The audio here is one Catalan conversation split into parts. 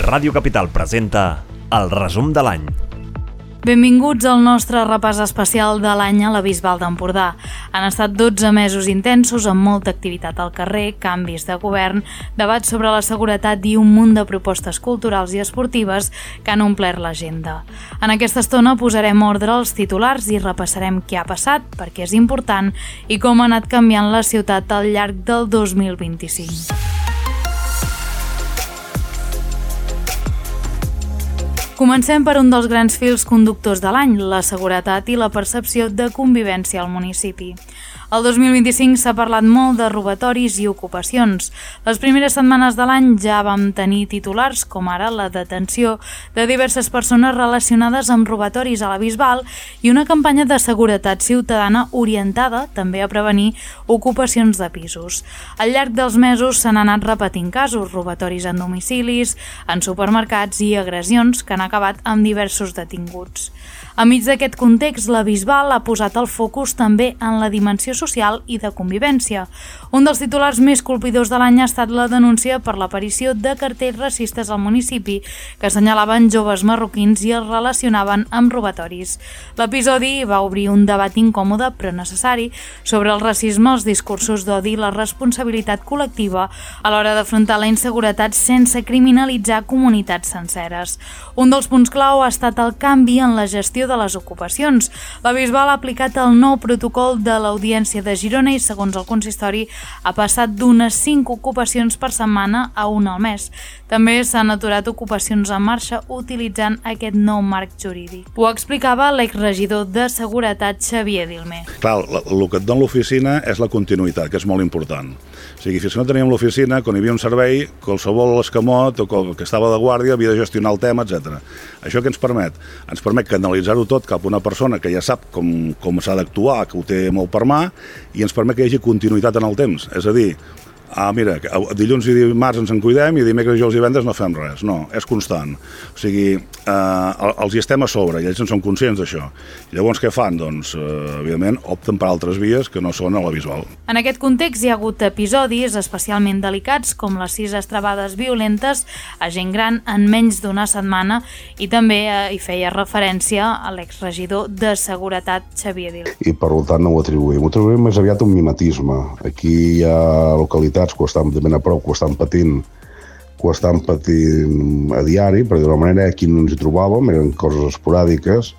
Ràdio Capital presenta el resum de l'any. Benvinguts al nostre repàs especial de l'any a la Bisbal d'Empordà. Han estat 12 mesos intensos amb molta activitat al carrer, canvis de govern, debats sobre la seguretat i un munt de propostes culturals i esportives que han omplert l'agenda. En aquesta estona posarem ordre als titulars i repassarem què ha passat, per què és important i com ha anat canviant la ciutat al llarg del 2025. Comencem per un dels grans fils conductors de l'any, la seguretat i la percepció de convivència al municipi. El 2025 s'ha parlat molt de robatoris i ocupacions. Les primeres setmanes de l'any ja vam tenir titulars, com ara la detenció de diverses persones relacionades amb robatoris a la Bisbal i una campanya de seguretat ciutadana orientada també a prevenir ocupacions de pisos. Al llarg dels mesos s'han anat repetint casos, robatoris en domicilis, en supermercats i agressions que han acabat amb diversos detinguts. Enmig d'aquest context, la Bisbal ha posat el focus també en la dimensió social i de convivència. Un dels titulars més colpidors de l'any ha estat la denúncia per l'aparició de cartells racistes al municipi que assenyalaven joves marroquins i els relacionaven amb robatoris. L'episodi va obrir un debat incòmode però necessari sobre el racisme, els discursos d'odi i la responsabilitat col·lectiva a l'hora d'afrontar la inseguretat sense criminalitzar comunitats senceres. Un dels punts clau ha estat el canvi en la gestió de les ocupacions. La Bisbal ha aplicat el nou protocol de l'Audiència de Girona i, segons el consistori, ha passat d'unes 5 ocupacions per setmana a una al mes. També s'han aturat ocupacions en marxa utilitzant aquest nou marc jurídic. Ho explicava l'exregidor de Seguretat, Xavier Dilmé. Clar, el que et dona l'oficina és la continuïtat, que és molt important. O sigui, fins que no teníem l'oficina, quan hi havia un servei, qualsevol escamot o que estava de guàrdia havia de gestionar el tema, etc. Això què ens permet? Ens permet canalitzar-ho tot cap a una persona que ja sap com s'ha d'actuar, que ho té molt per mà, i ens permet que hi hagi continuïtat en el temps. És a dir, mira, dilluns i dimarts ens en cuidem i dimecres, dijous i divendres no fem res. No, és constant. O sigui, els hi estem a sobre i ells en són conscients d'això. I llavors què fan? Doncs, evidentment, opten per altres vies que no són a la Bisbal. En aquest context hi ha hagut episodis especialment delicats com les 6 estrabades violentes a gent gran en menys d'una setmana i també hi feia referència a l'exregidor de Seguretat, Xavier Dilmé. I per tant no ho atribuïm. Ho atribuïm més aviat un mimetisme. Aquí hi ha localitats que ho estan ben a prop, que ho estan patint a diari, per dir-ho manera, aquí no ens hi trobàvem, eren coses esporàdiques,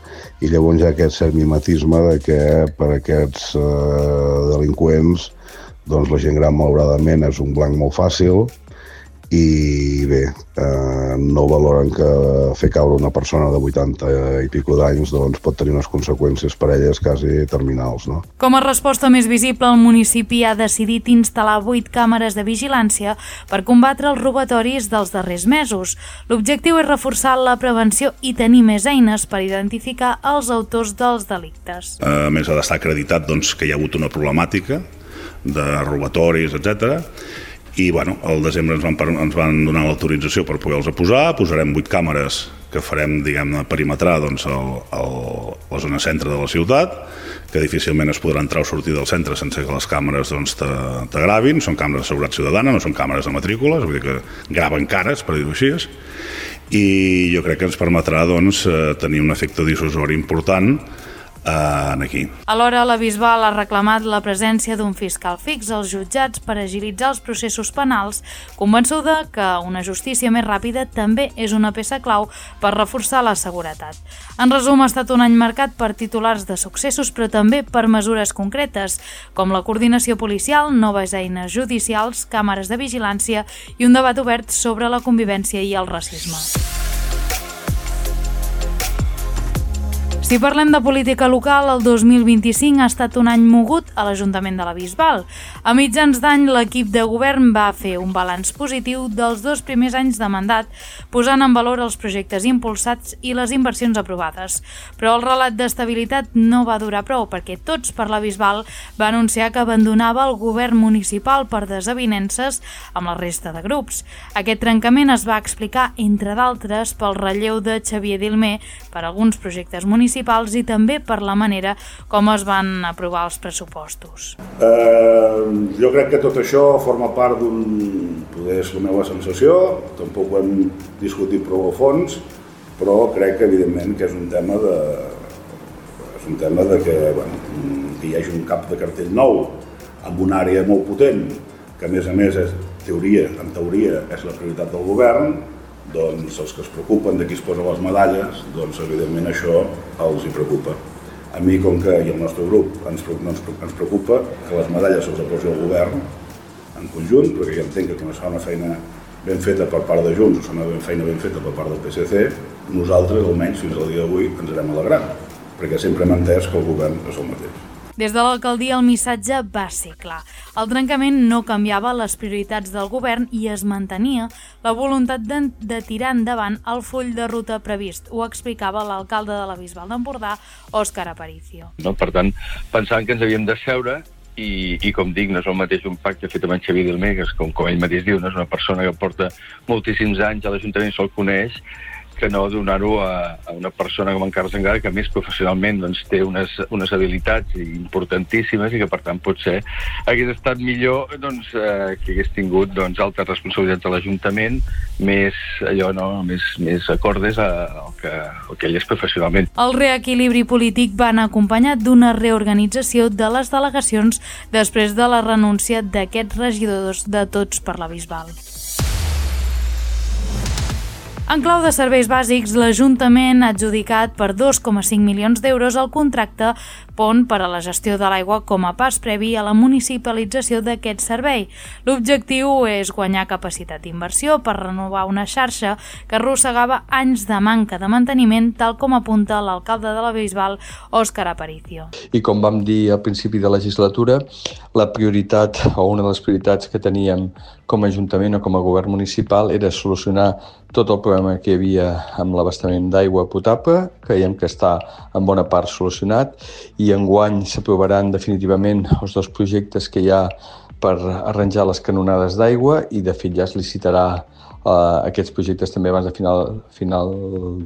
i llavors hi ha aquest cert mimetisme de que per aquests delinqüents doncs la gent gran malauradament és un blanc molt fàcil i bé, no valoren que fer caure una persona de 80 i pico d'anys doncs pot tenir unes conseqüències per elles quasi terminals. No? Com a resposta més visible, el municipi ha decidit instal·lar 8 càmeres de vigilància per combatre els robatoris dels darrers mesos. L'objectiu és reforçar la prevenció i tenir més eines per identificar els autors dels delictes. A més, ha d'estar acreditat doncs, que hi ha hagut una problemàtica de robatoris, etc. I bueno, al desembre ens van donar l'autorització per poder-los posar. Posarem 8 càmeres que farem, diguem-ne, perimetrar doncs, la zona centre de la ciutat, que difícilment es podrà entrar o sortir del centre sense que les càmeres doncs, t'agravin. Són càmeres de seguretat ciutadana, no són càmeres de matrícules, vull dir que graven cares, per dir-ho així. I jo crec que ens permetrà doncs, tenir un efecte dissuasori important aquí. Alhora, la Bisbal ha reclamat la presència d'un fiscal fix als jutjats per agilitzar els processos penals, convençuda que una justícia més ràpida també és una peça clau per reforçar la seguretat. En resum, ha estat un any marcat per titulars de successos, però també per mesures concretes, com la coordinació policial, noves eines judicials, càmeres de vigilància i un debat obert sobre la convivència i el racisme. Si parlem de política local, el 2025 ha estat un any mogut a l'Ajuntament de la Bisbal. A mitjans d'any, l'equip de govern va fer un balanç positiu dels 2 primers anys de mandat, posant en valor els projectes impulsats i les inversions aprovades. Però el relat d'estabilitat no va durar prou, perquè Tots per la Bisbal va anunciar que abandonava el govern municipal per desavinences amb la resta de grups. Aquest trencament es va explicar, entre d'altres, pel relleu de Xavier Dilmé per alguns projectes municipals municipals i també per la manera com es van aprovar els pressupostos. Jo crec que tot això forma part poder és la meva sensació, tampoc ho hem discutit prou a fons, però crec que evidentment que és un tema de que hi hagi un cap de cartell nou amb una àrea molt potent, que a més en teoria és la prioritat del govern, doncs els que es preocupen de qui es posa les medalles, doncs evidentment això els hi preocupa. A mi, com que i al nostre grup ens preocupa que les medalles se'ls posi el govern en conjunt, perquè jo entenc que quan es fa una feina ben feta per part de Junts o es fa una feina ben feta per part del PSC, nosaltres, almenys fins al dia d'avui, ens anem alegrant, perquè sempre hem entès que el govern és el mateix. Des de l'alcaldia el missatge va ser clar. El trencament no canviava les prioritats del govern i es mantenia la voluntat de tirar endavant el full de ruta previst. Ho explicava l'alcalde de la Bisbal d'Empordà, Òscar Aparicio. Per tant, pensàvem que ens havíem d'asseure i com dic, no és el mateix un pacte fet amb en Xavier Dilmegas, com ell mateix diu, no és una persona que porta moltíssims anys a l'Ajuntament, se'l coneix, que no donar-ho a una persona com en Carles Anglada, que a més professionalment té unes habilitats importantíssimes i que per tant potser hagués estat millor que hagués tingut altres responsabilitats a l'Ajuntament més acordes al que ell és professionalment. El reequilibri polític va anar acompanyat d'una reorganització de les delegacions després de la renúncia d'aquests regidors de Tots per la Bisbal. En clau de serveis bàsics, l'Ajuntament ha adjudicat per 2,5 milions d'euros el contracte pont per a la gestió de l'aigua com a pas previ a la municipalització d'aquest servei. L'objectiu és guanyar capacitat d'inversió per renovar una xarxa que arrossegava anys de manca de manteniment, tal com apunta l'alcalde de la Bisbal, Òscar Aparicio. I com vam dir al principi de legislatura, la prioritat o una de les prioritats que teníem com a Ajuntament o com a govern municipal era solucionar tot el problema que hi havia amb l'abastament d'aigua potable, creiem que està en bona part solucionat, i enguany s'aprovaran definitivament els dos projectes que hi ha per arranjar les canonades d'aigua i de fet ja es licitarà aquests projectes també abans de final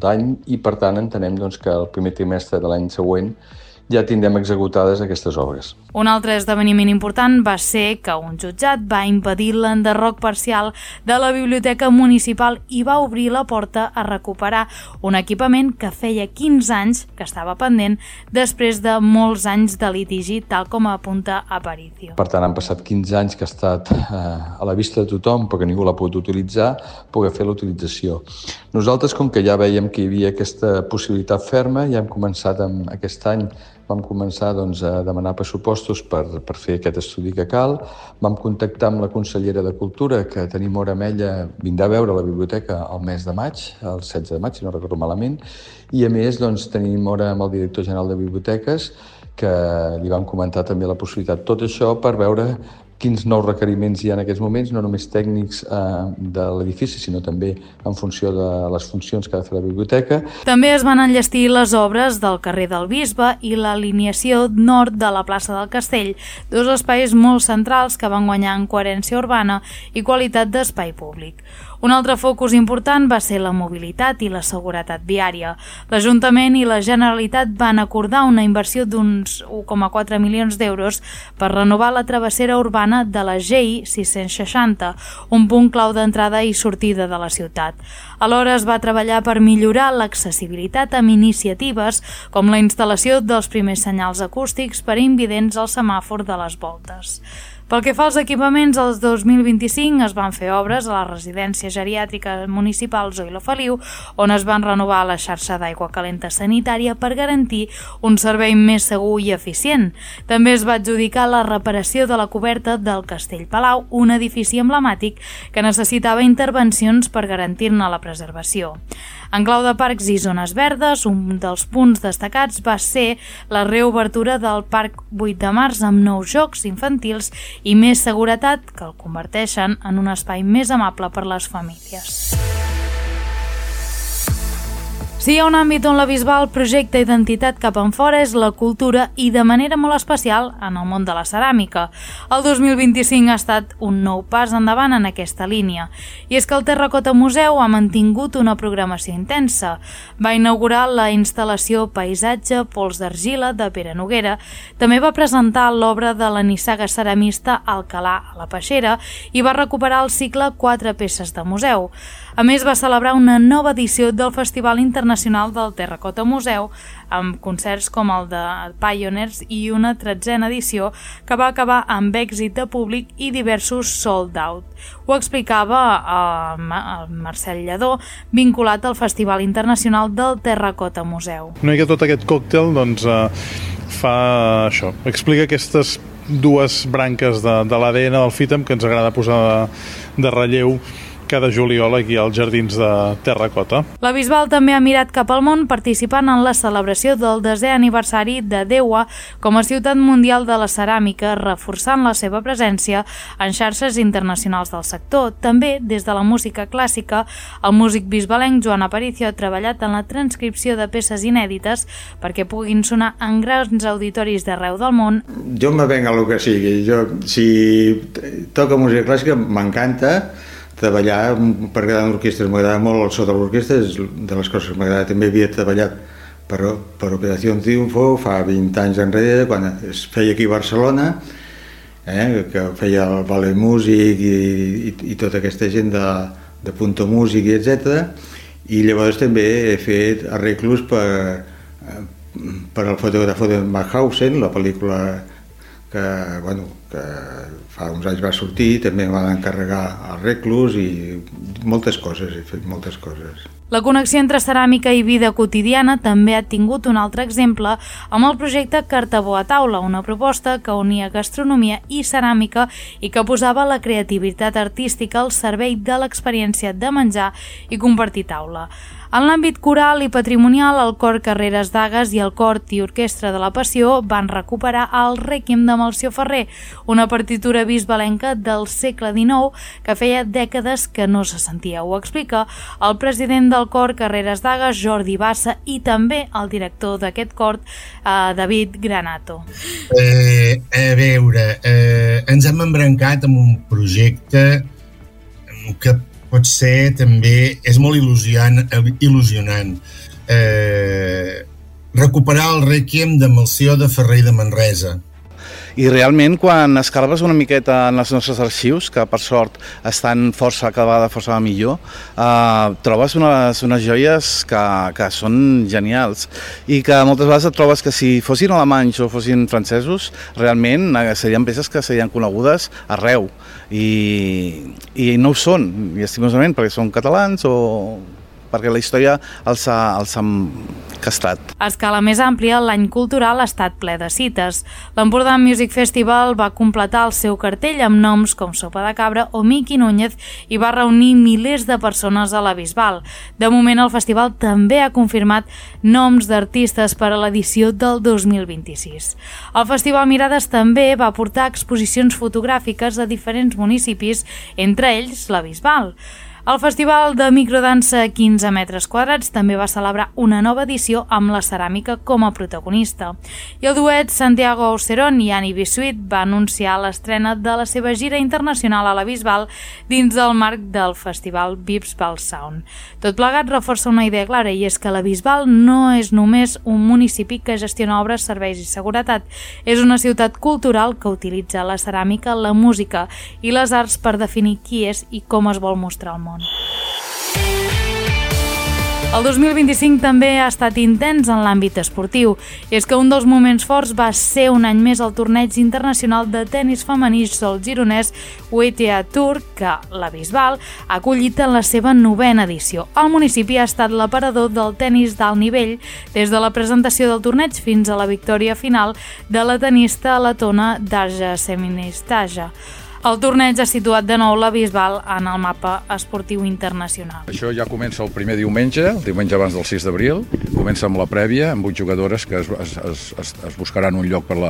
d'any i per tant entenem que el primer trimestre de l'any següent ja tindrem executades aquestes obres. Un altre esdeveniment important va ser que un jutjat va impedir l'enderroc parcial de la biblioteca municipal i va obrir la porta a recuperar un equipament que feia 15 anys que estava pendent després de molts anys de litigi, tal com apunta Aparicio. Per tant, han passat 15 anys que ha estat a la vista de tothom, però que ningú l'ha pogut utilitzar, poder fer la utilització. Nosaltres, com que ja veiem que hi havia aquesta possibilitat ferma, ja hem començat aquest any vam començar a demanar pressupostos per fer aquest estudi que cal. Vam contactar amb la consellera de Cultura, que tenim hora amb ella, vindrà a veure la biblioteca el mes de maig, el 16 de maig, si no recordo malament, i a més tenim hora amb el director general de biblioteques, que li vam comentar també la possibilitat. Tot això per veure quins nous requeriments hi ha en aquests moments, no només tècnics de l'edifici, sinó també en funció de les funcions que ha de fer la biblioteca. També es van enllestir les obres del carrer del Bisbe i l'alineació nord de la plaça del Castell, dos espais molt centrals que van guanyar en coherència urbana i qualitat d'espai públic. Un altre focus important va ser la mobilitat i la seguretat viària. L'Ajuntament i la Generalitat van acordar una inversió d'uns 1,4 milions d'euros per renovar la travessera urbana de la GI 660, un punt clau d'entrada i sortida de la ciutat. Alhora es va treballar per millorar l'accessibilitat amb iniciatives com la instal·lació dels primers senyals acústics per a invidents al semàfor de les voltes. Pel que fa als equipaments, el 2025 es van fer obres a la residència geriàtrica municipal Zoilo Feliu, on es van renovar la xarxa d'aigua calenta sanitària per garantir un servei més segur i eficient. També es va adjudicar la reparació de la coberta del Castell Palau, un edifici emblemàtic que necessitava intervencions per garantir-ne la preservació. En clau de parcs i zones verdes, un dels punts destacats va ser la reobertura del Parc 8 de Març amb nous jocs infantils i més seguretat que el converteixen en un espai més amable per les famílies. Si hi ha un àmbit on la Bisbal projecta identitat cap enfora és la cultura i de manera molt especial en el món de la ceràmica. El 2025 ha estat un nou pas endavant en aquesta línia. I és que el Terracota Museu ha mantingut una programació intensa. Va inaugurar la instal·lació Paisatge Pols d'Argila de Pere Noguera. També va presentar l'obra de la nissaga ceramista Alcalà a la Peixera i va recuperar el cicle 4 peces de museu. A més, va celebrar una nova edició del Festival Internacional del Terracota Museu, amb concerts com el de Pioneers i una 13a edició que va acabar amb èxit de públic i diversos sold out. Ho explicava el Marcel Lledó, vinculat al Festival Internacional del Terracota Museu. Una mica tot aquest còctel fa això, explica aquestes dues branques de l'ADN del FITAM que ens agrada posar de relleu cada juliol aquí als jardins de Terracota. La Bisbal també ha mirat cap al món participant en la celebració del 10è aniversari de Deua com a ciutat mundial de la ceràmica, reforçant la seva presència en xarxes internacionals del sector. També, des de la música clàssica, el músic bisbalenc Joan Aparicio ha treballat en la transcripció de peces inèdites perquè puguin sonar en grans auditoris d'arreu del món. Jo me venc a lo que sigui. Si toco música clàssica m'encanta. Treballar per quedar en orquestres m'agrada molt, el so de l'orquestra és de les coses que m'agrada. També havia treballat per Operació Triunfo fa 20 anys enrere, quan es feia aquí a Barcelona, que feia el ballet músic i tota aquesta gent de Punto Músic, etc. I llavors també he fet arreglos per el fotògrafo de Mauthausen, la pel·lícula que fa uns anys va sortir, també em van encarregar arreglos i moltes coses, he fet moltes coses. La connexió entre ceràmica i vida quotidiana també ha tingut un altre exemple amb el projecte Cartabó a taula, una proposta que unia gastronomia i ceràmica i que posava la creativitat artística al servei de l'experiència de menjar i compartir taula. En l'àmbit coral i patrimonial, el Cor Carreres d'Agues i el Cor i Orquestra de la Passió van recuperar el Rèquiem de Melcior Ferrer, una partitura bisbalenca del segle XIX que feia dècades que no se sentia. Ho explica el president del Cor Carreres d'Agues, Jordi Bassa, i també el director d'aquest cor, David Granato. A veure, ens hem embrancat amb un projecte que potser també és molt il·lusionant. Recuperar el Rèquiem de Melcior de Ferrer i de Manresa. I realment, quan escarbes una miqueta en els nostres arxius, que per sort estan cada vegada força millor, trobes unes joies que són genials i que moltes vegades et trobes que si fossin alemanys o fossin francesos, realment serien peces que serien conegudes arreu i no ho són, llastimosament, perquè són catalans o perquè la història els ha castrat. A escala més àmplia, l'any cultural ha estat ple de cites. L'Empordà Music Festival va completar el seu cartell amb noms com Sopa de Cabra o Miqui Núñez i va reunir milers de persones a la Bisbal. De moment, el festival també ha confirmat noms d'artistes per a l'edició del 2026. El Festival Mirades també va portar exposicions fotogràfiques a diferents municipis, entre ells la Bisbal. El Festival de Microdansa 15 metres quadrats també va celebrar una nova edició amb la ceràmica com a protagonista. I el duet Santiago Auserón i Annie Bisuit va anunciar l'estrena de la seva gira internacional a la Bisbal dins del marc del Festival Bisbal Sound. Tot plegat reforça una idea clara, i és que la Bisbal no és només un municipi que gestiona obres, serveis i seguretat. És una ciutat cultural que utilitza la ceràmica, la música i les arts per definir qui és i com es vol mostrar al món. El 2025 també ha estat intens en l'àmbit esportiu, i és que un dels moments forts va ser un any més el torneig internacional de tenis femení sol gironès WTA Tour, que la Bisbal ha acollit en la seva 9a edició. El municipi ha estat l'aparador del tenis d'alt nivell des de la presentació del torneig fins a la victòria final de la tenista letona Darja Seministaja. El torneig ha situat de nou la Bisbal en el mapa esportiu internacional. Això ja comença el primer diumenge, el diumenge abans del 6 d'abril. Comença amb la prèvia, amb 8 jugadores que es buscaran un lloc per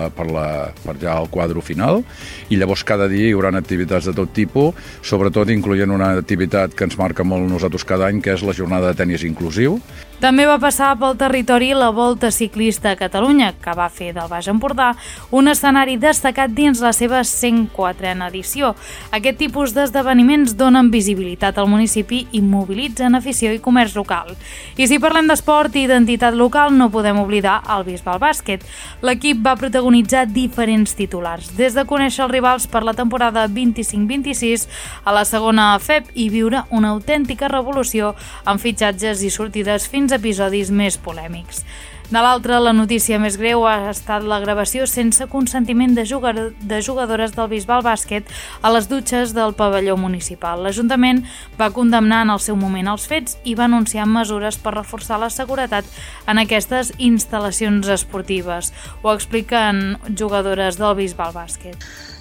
ja al quadre final, i llavors cada dia hi haurà activitats de tot tipus, sobretot incloent una activitat que ens marca molt nosaltres cada any, que és la jornada de tenis inclusiu. També va passar pel territori la Volta Ciclista a Catalunya, que va fer del Baix Empordà un escenari destacat dins la seva 104a edició. Aquest tipus d'esdeveniments donen visibilitat al municipi i mobilitzen afició i comerç local. I si parlem d'esport i identitat local, no podem oblidar el Bisbal Bàsquet. L'equip va protagonitzar diferents titulars, des de conèixer els rivals per la temporada 25-26 a la segona FEP i viure una autèntica revolució amb fitxatges i sortides fins a episodis més polèmics. De l'altra, la notícia més greu ha estat la gravació sense consentiment de jugadores del Bisbal Bàsquet a les dutxes del pavelló municipal. L'Ajuntament va condemnar en el seu moment els fets i va anunciar mesures per reforçar la seguretat en aquestes instal·lacions esportives. Ho expliquen jugadores del Bisbal Bàsquet.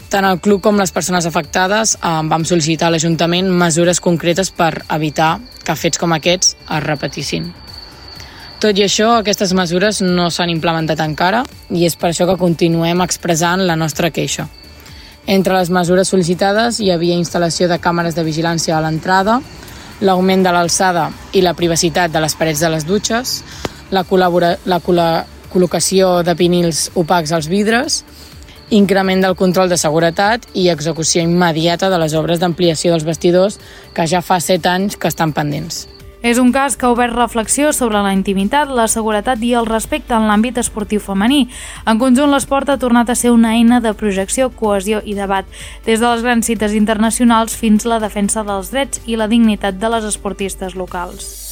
Tant el club com les persones afectades vam sol·licitar a l'Ajuntament mesures concretes per evitar que fets com aquests es repetissin. Tot i això, aquestes mesures no s'han implementat encara i és per això que continuem expressant la nostra queixa. Entre les mesures sol·licitades hi havia instal·lació de càmeres de vigilància a l'entrada, l'augment de l'alçada i la privacitat de les parets de les dutxes, la col·locació de vinils opacs als vidres, increment del control de seguretat i execució immediata de les obres d'ampliació dels vestidors que ja fa 7 anys que estan pendents. És un cas que ha obert reflexió sobre la intimitat, la seguretat i el respecte en l'àmbit esportiu femení. En conjunt, l'esport ha tornat a ser una eina de projecció, cohesió i debat, des de les grans cites internacionals fins a la defensa dels drets i la dignitat de les esportistes locals.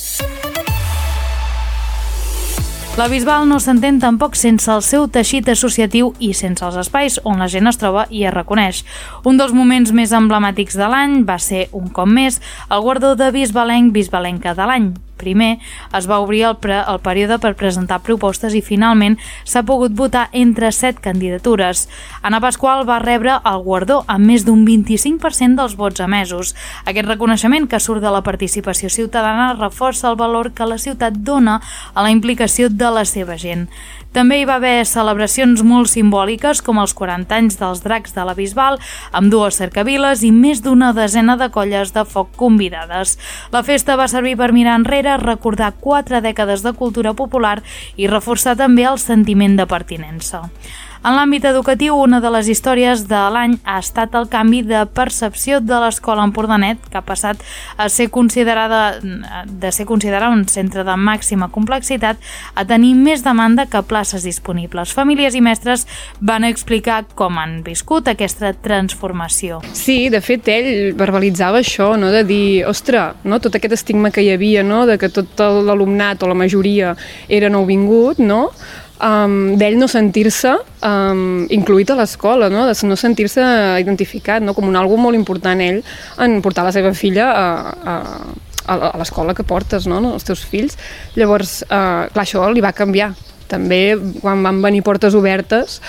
La Bisbal no s'entén tampoc sense el seu teixit associatiu i sense els espais on la gent es troba i es reconeix. Un dels moments més emblemàtics de l'any va ser, un cop més, el guardó de bisbalenca de l'any. Primer, es va obrir el període per presentar propostes i finalment s'ha pogut votar entre 7 candidatures. Anna Pasqual va rebre el guardó amb més d'un 25% dels vots emesos. Aquest reconeixement que surt de la participació ciutadana reforça el valor que la ciutat dona a la implicació de la seva gent. També hi va haver celebracions molt simbòliques com els 40 anys dels Dracs de la Bisbal, amb 2 cercaviles i més d'una desena de colles de foc convidades. La festa va servir per mirar enrere, recordar 4 dècades de cultura popular i reforçar també el sentiment de pertinença. En l'àmbit educatiu, una de les històries de l'any ha estat el canvi de percepció de l'escola Empordanet, que ha passat a ser considerada un centre de màxima complexitat a tenir més demanda que places disponibles. Famílies i mestres van explicar com han viscut aquesta transformació. Sí, de fet, ell verbalitzava això, no? De dir, ostres, no? Tot aquest estigma que hi havia, no? De que tot l'alumnat o la majoria era nouvingut, no? D'ell no sentir-se incluït a l'escola, no? De no sentir-se identificat, no? Com una cosa molt important ell en portar la seva filla a l'escola que portes, no? Els teus fills. Llavors, clar, això li va canviar. També, quan van venir Portes Obertes,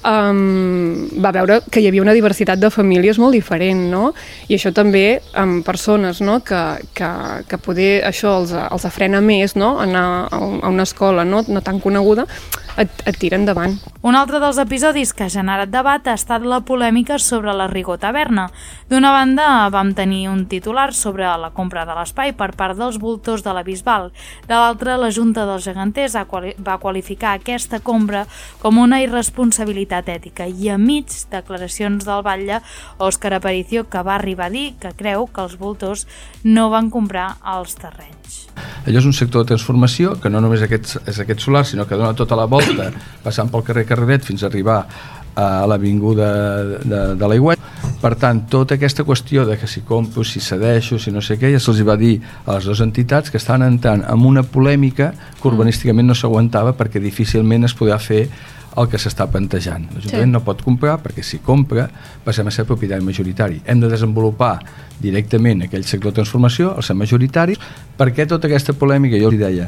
va veure que hi havia una diversitat de famílies molt diferent, no? I això també amb persones, no? Que poder això els frena més, no? Anar a una escola no tan coneguda, et tira endavant. Un altre dels episodis que ha generat debat ha estat la polèmica sobre la Rigó Taverna. D'una banda, vam tenir un titular sobre la compra de l'espai per part dels voltors de la Bisbal. De l'altra, la Junta dels Geganters va qualificar aquesta compra com una irresponsabilitat ètica i a mig declaracions del batlle Òscar Aparicio, que va arribar a dir que creu que els voltors no van comprar els terrenys. Allò és un sector de transformació que no només és aquest solar, sinó que dona tota la volta, passant pel carrer Carreret fins a arribar a l'avinguda de l'Aigüet. Per tant, tota aquesta qüestió de que si compro, si cedeixo, si no sé què, ja se'ls va dir a les dues entitats que estaven entrant en una polèmica que urbanísticament no s'aguantava perquè difícilment es podia fer el que s'està plantejant. L'Ajuntament no pot comprar perquè si compra passem a ser propietari majoritari. Hem de desenvolupar directament aquell sector de transformació, el ser majoritari. Per què tota aquesta polèmica? Jo li deia,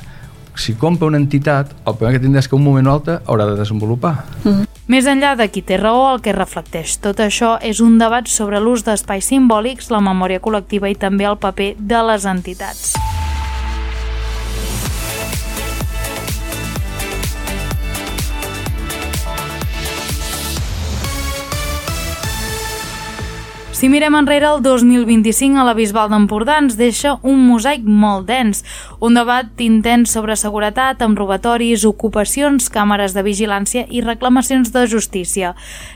si compra una entitat, el primer que tindrà és que un moment o altre haurà de desenvolupar. Més enllà de qui té raó, el que reflecteix tot això és un debat sobre l'ús d'espais simbòlics, la memòria col·lectiva i també el paper de les entitats. Si mirem enrere, el 2025 a la Bisbal d'Empordà ens deixa un mosaic molt dens, un debat intens sobre seguretat amb robatoris, ocupacions, càmeres de vigilància i reclamacions de justícia.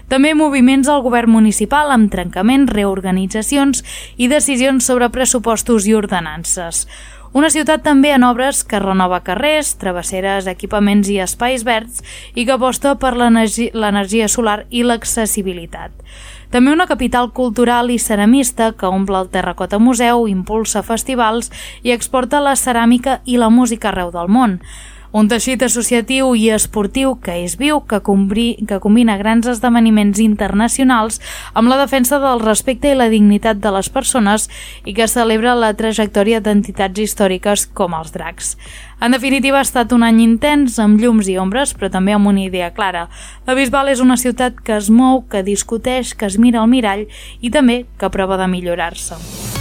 També moviments al govern municipal amb trencaments, reorganitzacions i decisions sobre pressupostos i ordenances. Una ciutat també en obres que renova carrers, travesseres, equipaments i espais verds i que aposta per l'energia solar i l'accessibilitat. També una capital cultural i ceramista que omple el Terracota Museu, impulsa festivals i exporta la ceràmica i la música arreu del món. Un teixit associatiu i esportiu que és viu, que combina grans esdeveniments internacionals amb la defensa del respecte i la dignitat de les persones i que celebra la trajectòria d'entitats històriques com els Dracs. En definitiva, ha estat un any intens, amb llums i ombres, però també amb una idea clara. La Bisbal és una ciutat que es mou, que discuteix, que es mira al mirall i també que prova de millorar-se.